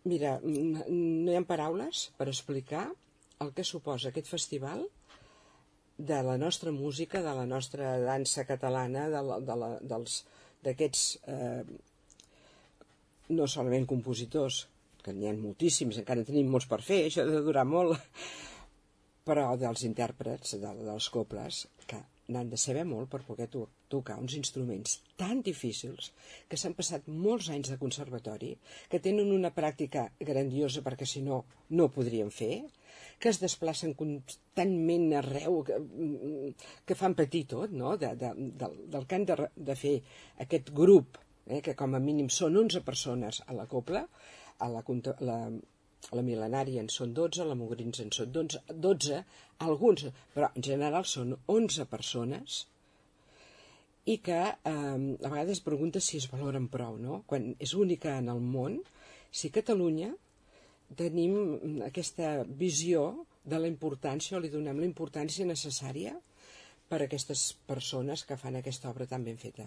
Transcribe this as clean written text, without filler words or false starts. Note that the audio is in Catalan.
Mira, no hi ha paraules per explicar el que suposa aquest festival de la nostra música, de la nostra dansa catalana, d'aquests, no solament compositors, que n'hi ha moltíssims, encara en tenim molts per fer, això ha de durar molt, però dels intèrprets, dels cobles, que n'han de saber molt per poder tocar uns instruments tan difícils, que s'han passat molts anys de conservatori, que tenen una pràctica grandiosa perquè si no, no ho podrien fer, que es desplacen constantment arreu, que fan patir tot, no? Del que han de fer aquest grup, que com a mínim són 11 persones a la cobla, a la mil·lenària en són 12, a la Mogrins en són 12, alguns, però en general són 11 persones, i que a vegades es pregunta si es valoren prou, no? Quan és única en el món, si Catalunya tenim aquesta visió de la importància, o li donem la importància necessària per a aquestes persones que fan aquesta obra tan ben feta.